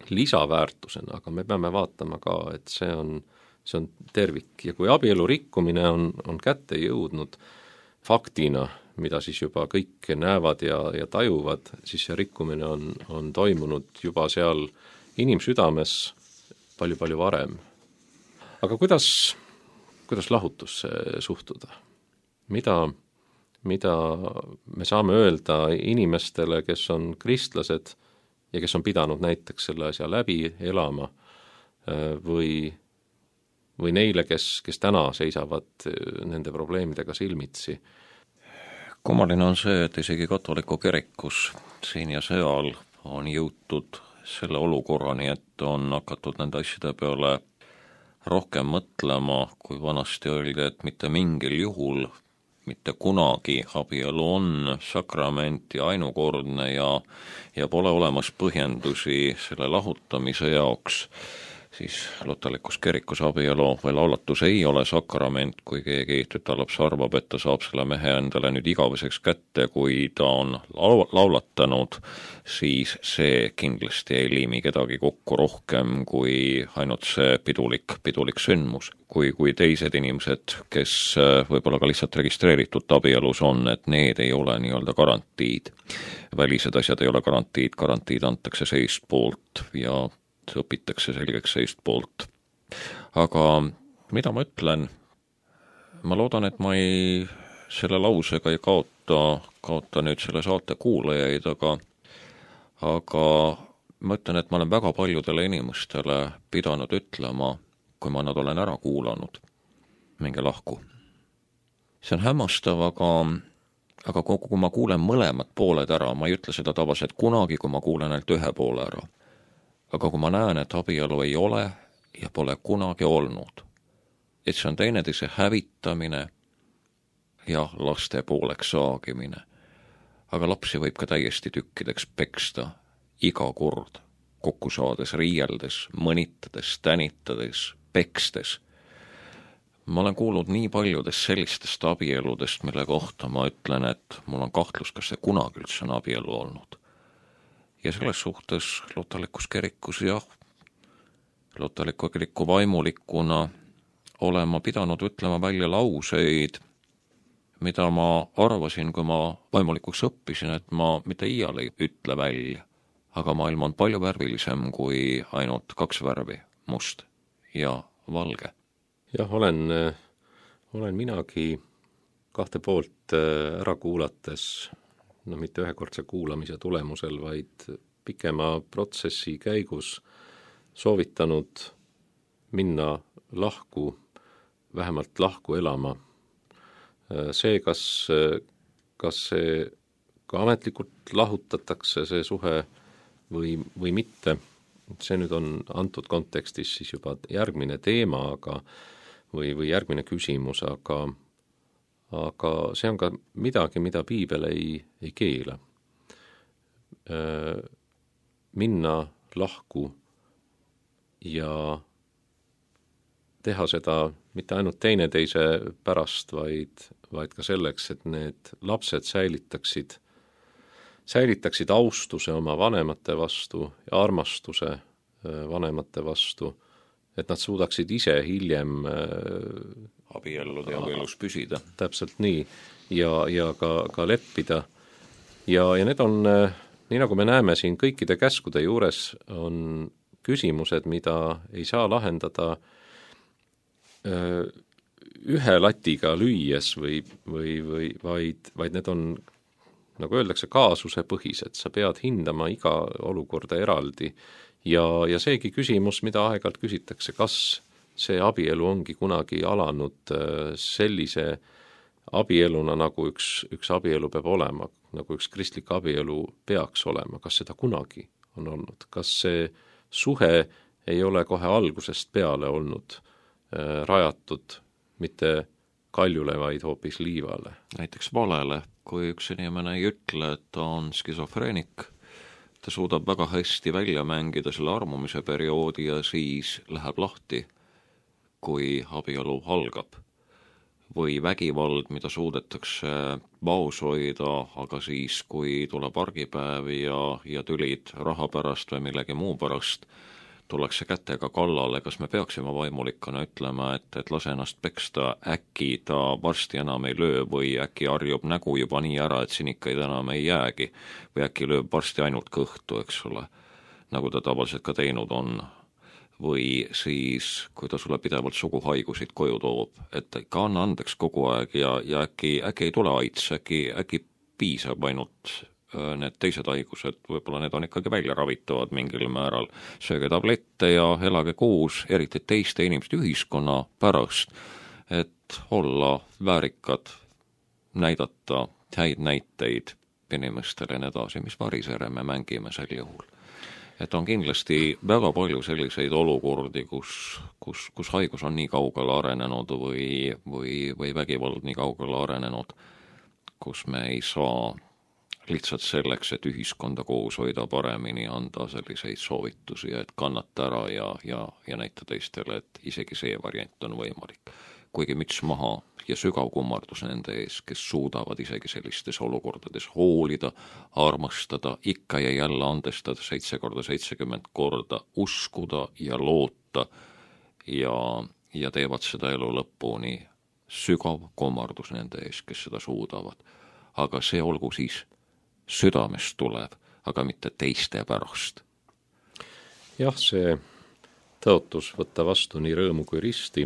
[SPEAKER 2] lisaväärtusena, aga me peame vaatama ka, et see on, see on tervik. Ja kui abielu rikkumine on, on kätte jõudnud faktina, mida siis juba kõik näevad ja, ja tajuvad, siis see rikkumine on, on toimunud juba seal inimsüdames palju-palju varem. Aga kuidas, kuidas lahutusse suhtuda? Mida, mida me saame öelda inimestele, kes on kristlased ja kes on pidanud näiteks selle asja läbi elama või, või neile, kes, kes täna seisavad nende probleemidega silmitsi?
[SPEAKER 1] Kummaline on see, et isegi katoliku kirikus siin ja seal on jõutud selle olukorrani, et on hakatud nende asjade peale rohkem mõtlema, kui vanasti öeldi, et mitte mingil juhul, mitte kunagi abielu on sakrament ja ainukordne ja, ja pole olemas põhjendusi selle lahutamise jaoks, siis lutalikus kirikus abielu või laulatus ei ole sakrament, kui keegi tütarlaps arvab, et ta saab selle mehe endale nüüd igaveseks kätte, kui ta on laulatanud, siis see kindlasti ei liimi kedagi kokku rohkem kui ainult see pidulik, pidulik sündmus. Kui, kui teised inimesed, kes võib-olla ka lihtsalt registreeritud abielus on, et need ei ole nii-öelda garantiid. Välised asjad ei ole garantiid, garantiid antakse seist poolt ja õpitakse selgeks seist poolt. Aga mida ma ütlen? Ma loodan, et ma ei, selle lausega ei kaota, kaota nüüd selle saate kuulajaid, aga, aga ma ütlen, et ma olen väga paljudele inimestele pidanud ütlema, kui ma nad olen ära kuulanud, minge lahku. See on hämmastav, aga, aga kui ma kuulen mõlemad pooled ära, ma ei ütle seda tavaliselt kunagi, kui ma kuulen ainult ühe poole ära. Aga kui ma näen, et abielu ei ole ja pole kunagi olnud, et see on teineteise hävitamine ja laste pooleks saagimine, aga lapsi võib ka täiesti tükkideks peksta iga kord, kokku saades, riieldes, mõnitades, tänitades, pekstes. Ma olen kuulnud nii paljudest sellistest abieludest, mille kohta ma ütlen, et mul on kahtlus, kas see kunagi üldse on abielu olnud. Ja selles suhtes lutalikus kirikus jah, lutaliku kiriku vaimulikuna olen ma pidanud ütlema välja lauseid, mida ma arvasin, kui ma vaimulikuks õppisin, et ma mitte iial ei ütle välja, aga maailm on palju värvilisem kui ainult kaks värvi, must ja valge.
[SPEAKER 2] Jah, olen, olen minagi kahte poolt ära kuulates, no mitte ühekordse kuulamise tulemusel, vaid pikema protsessi käigus soovitanud minna lahku, vähemalt lahku elama. See, kas, kas see ka ametlikult lahutatakse, see suhe või, või mitte, see nüüd on antud kontekstis siis juba järgmine teema, aga või, või järgmine küsimus, aga, aga see on ka midagi, mida piibel ei, ei keela. Minna lahku ja teha seda mitte ainult teineteise pärast, vaid, vaid ka selleks, et need lapsed säilitaksid säilitaksid austuse oma vanemate vastu ja armastuse vanemate vastu, et nad suudaksid ise hiljem
[SPEAKER 1] abielluda ja abielus püsida.
[SPEAKER 2] Täpselt nii, ja, ja ka, ka leppida. Ja, ja need on, nii nagu me näeme siin kõikide käskude juures, on küsimused, mida ei saa lahendada ühe latiga lüües või, või, või vaid, vaid need on, nagu öeldakse, kaasuse põhised, sa pead hindama iga olukorda eraldi ja, ja seegi küsimus, mida aeg-ajalt küsitakse, kas see abielu ongi kunagi alanud sellise abieluna, nagu üks, üks abielu peab olema, nagu üks kristlik abielu peaks olema, kas seda kunagi on olnud, kas see suhe ei ole kohe algusest peale olnud äh, rajatud mitte kaljule, vaid hoopis liivale.
[SPEAKER 1] Näiteks valele, kui üks inimene ei ütle, et ta on skisofreenik, ta suudab väga hästi välja mängida selle armumise perioodi ja siis läheb lahti, kui abielu algab. Või vägivald, mida suudetakse vaos hoida, aga siis, kui tuleb argipäev ja, ja tülid raha pärast või millegi muu pärast, tullakse kätega kallale, kas me peaksime vaimulikana ütlema, et, et lase ennast peksta, äkki ta varsti enam ei löö või äkki harjub nägu juba nii ära, et sinikaid enam ei jäägi või äkki lööb varsti ainult kõhtu, eks ole, nagu ta tavaliselt ka teinud on. Või siis, kui ta sulle pidevalt suguhaigusid koju toob, et ka anna andeks kogu aeg ja, ja äkki, äkki ei tule aits, äkki, äkki piisab ainult need teised haigused, võib-olla need on ikkagi välja ravitavad mingil määral, sööge tablette ja elage koos, eriti teiste inimeste ühiskonna pärast, et olla väärikad, näidata häid näiteid inimestele ja edasi, mis varisere me mängime sel juhul. Et on kindlasti väga palju selliseid olukordi, kus, kus, kus haigus on nii kaugele arenenud või, või, või vägivald nii kaugele arenenud, kus me ei saa lihtsalt selleks, et ühiskonda koos hoida paremini, anda selliseid soovitusi, et kannata ära ja, ja, ja näita teistele, et isegi see variant on võimalik. Kuigi müts maha ja sügav kummardus nende ees, kes suudavad isegi sellistes olukordades hoolida, armastada, ikka ja jälle andestada seitse korda seitsekümmend korda, uskuda ja loota ja, ja teevad seda elu lõpuni. Sügav kummardus nende ees, kes seda suudavad. Aga see olgu siis südamest tuleb, aga mitte teiste pärast.
[SPEAKER 2] Jah, see tõotus võtta vastu nii rõõmu kui risti,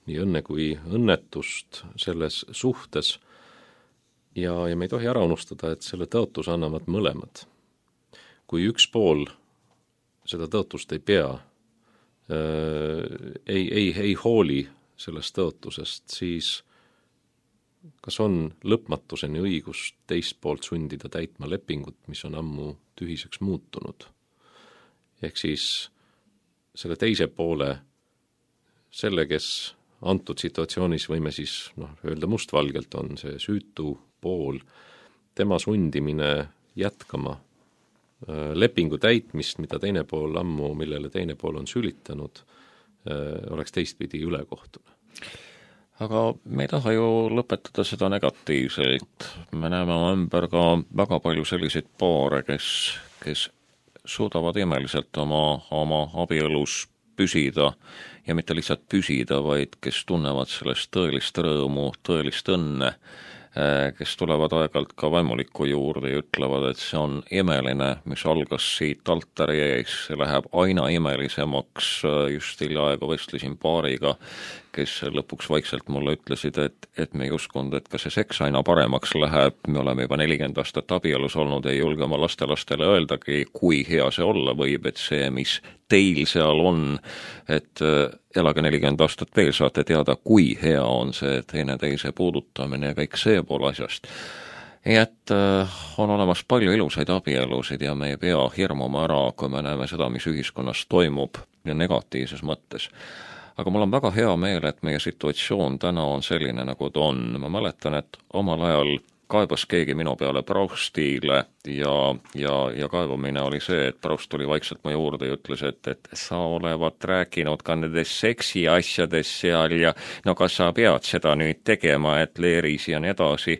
[SPEAKER 2] nii õnne kui õnnetust selles suhtes ja, ja me ei tohi ära unustada, et selle tõotus annavad mõlemad. Kui üks pool seda tõotust ei pea, äh, ei, ei, ei hooli sellest tõotusest, siis kas on lõpmatuseni õigus teist poolt sundida täitma lepingut, mis on ammu tühiseks muutunud. Ehk siis selle teise poole, selle, kes antud situatsioonis võime siis noh, öelda mustvalgelt on see süütu pool, tema sundimine jätkama lepingu täitmist, mida teine pool ammu, millele teine pool on sülitanud, oleks teistpidi ülekohtune.
[SPEAKER 1] Aga me ei taha ju lõpetada seda negatiivselt. Me näeme ümber ka väga palju selliseid paare, kes, kes suudavad imeliselt oma, oma abielus püsida ja mitte lihtsalt püsida, vaid kes tunnevad sellest tõelist rõõmu, tõelist õnne, kes tulevad aeg-ajalt ka vaimuliku juurde ja ütlevad, et see on imeline, mis algas siit altari ees, see läheb aina imelisemaks. Just hiljaaegu vestlesin paariga, kes lõpuks vaikselt mulle ütlesid, et, et me ei uskunud, et ka see seks aina paremaks läheb, me oleme juba nelikümmend aastat abielus olnud, ei julge oma lastelastele öeldagi, kui hea see olla võib, et see, mis teil seal on, et elage nelikümmend aastat veel, saate teada, kui hea on see teine teise puudutamine ja kõik see pool asjast. et on olemas palju ilusaid abielusid ja me ei pea hirmuma ära, kui me näeme seda, mis ühiskonnas toimub ja negatiivses mõttes. Aga mul on väga hea meel, et meie situatsioon täna on selline, nagu ta on. Ma mäletan, et omal ajal kaebas keegi minu peale Proustile ja, ja, ja kaebamine oli see, et Proust tuli vaikselt mu juurde ja ütles, et, et sa olevat rääkinud ka nendes seksi asjades seal ja no kas sa pead seda nüüd tegema, et leeris ja nii edasi.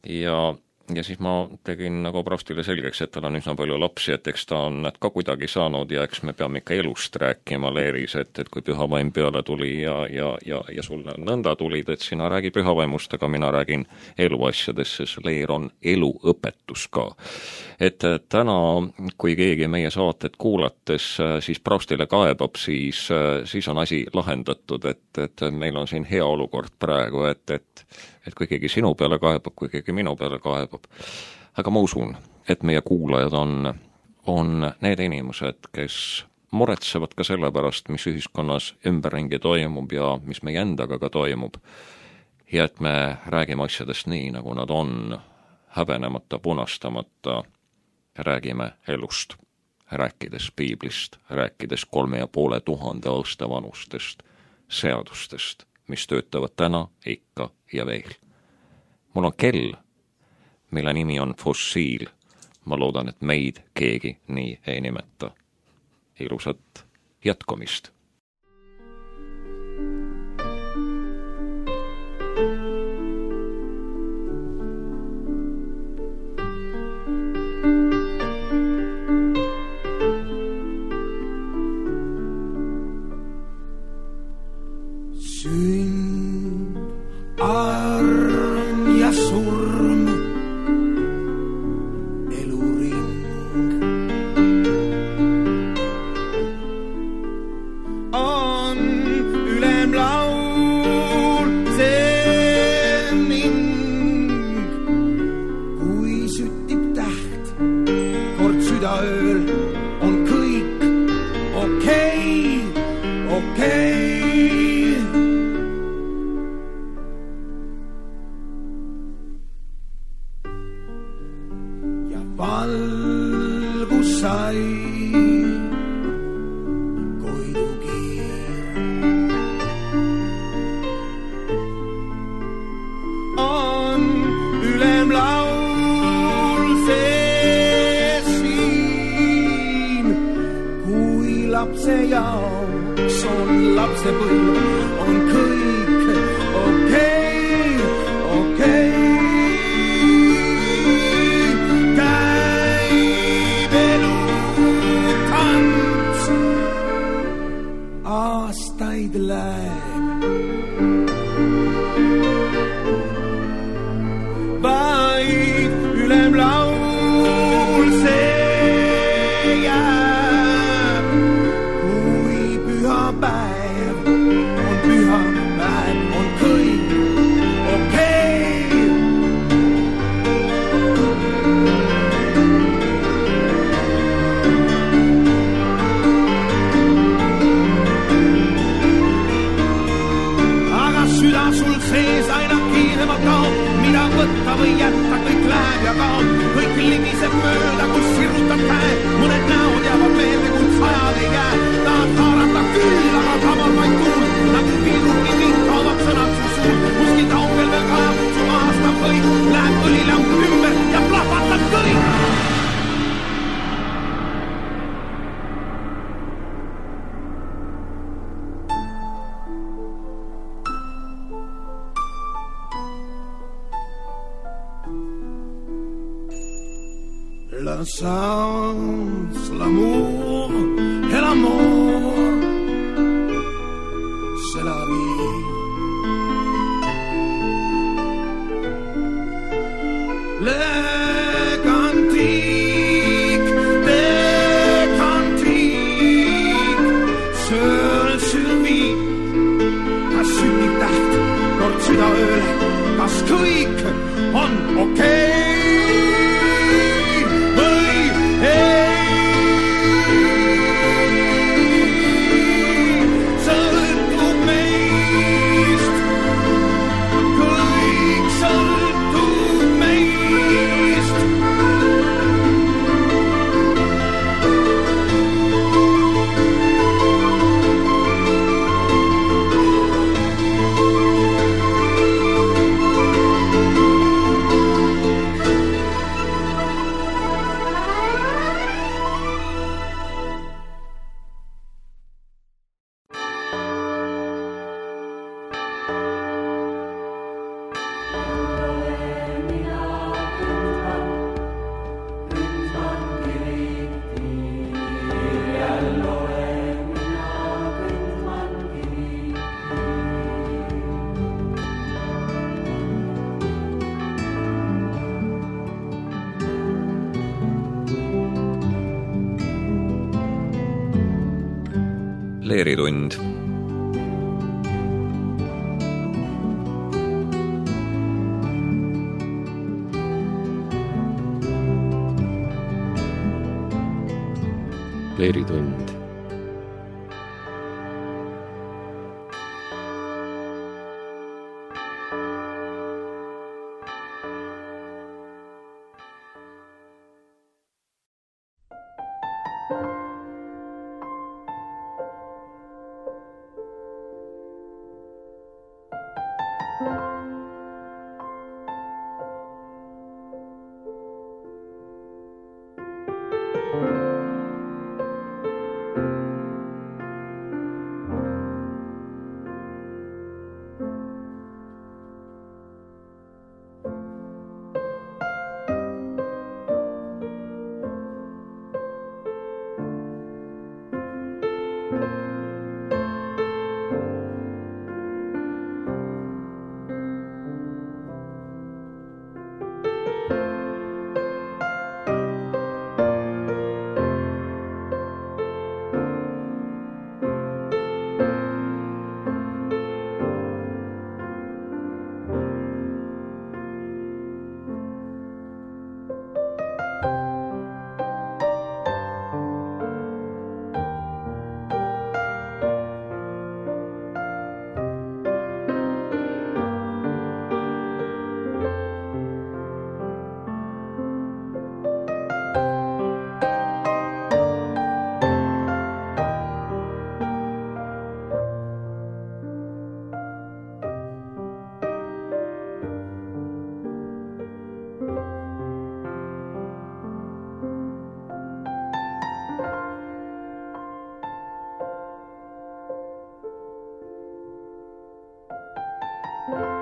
[SPEAKER 1] Ja, ja siis ma tegin nagu Proustile selgeks, et tal on üsna palju lapsi, et eks ta on nad ka kuidagi saanud ja eks me peame ikka elust rääkima leeris, et, et kui pühavaim peale tuli ja, ja, ja, ja sulle nõnda tulid, et sina räägi pühavaimust, aga mina räägin eluasjadest, sest leer on eluõpetus ka. Et täna, kui keegi meie saated kuulates siis Proustile kaebab, siis, siis on asi lahendatud, et, et meil on siin hea olukord praegu, et, et et kui keegi sinu peale kaebab, kui keegi minu peale kaebab. Aga ma usun, et meie kuulajad on, on need inimesed, kes muretsevad ka selle pärast, mis ühiskonnas ümberringi toimub ja mis meie endaga ka toimub. Ja et me räägime asjadest nii, nagu nad on, häbenemata, punastamata, räägime elust, rääkides piiblist, rääkides kolme ja poole tuhande aasta vanustest seadustest, mis töötavad täna ikka ja veel. Mul on kell, mille nimi on fossiil. Ma loodan, et meid keegi nii ei nimeta. Ilusat jätkumist!
[SPEAKER 3] La chance, l'amour et la mort, c'est la vie. Les cantiques, les cantiques, seul survie. Kas sünnib täht, kord südaööle, kas kõik on okei? Kõik sõltub meist.
[SPEAKER 1] Leeritund.
[SPEAKER 2] Leeritund. you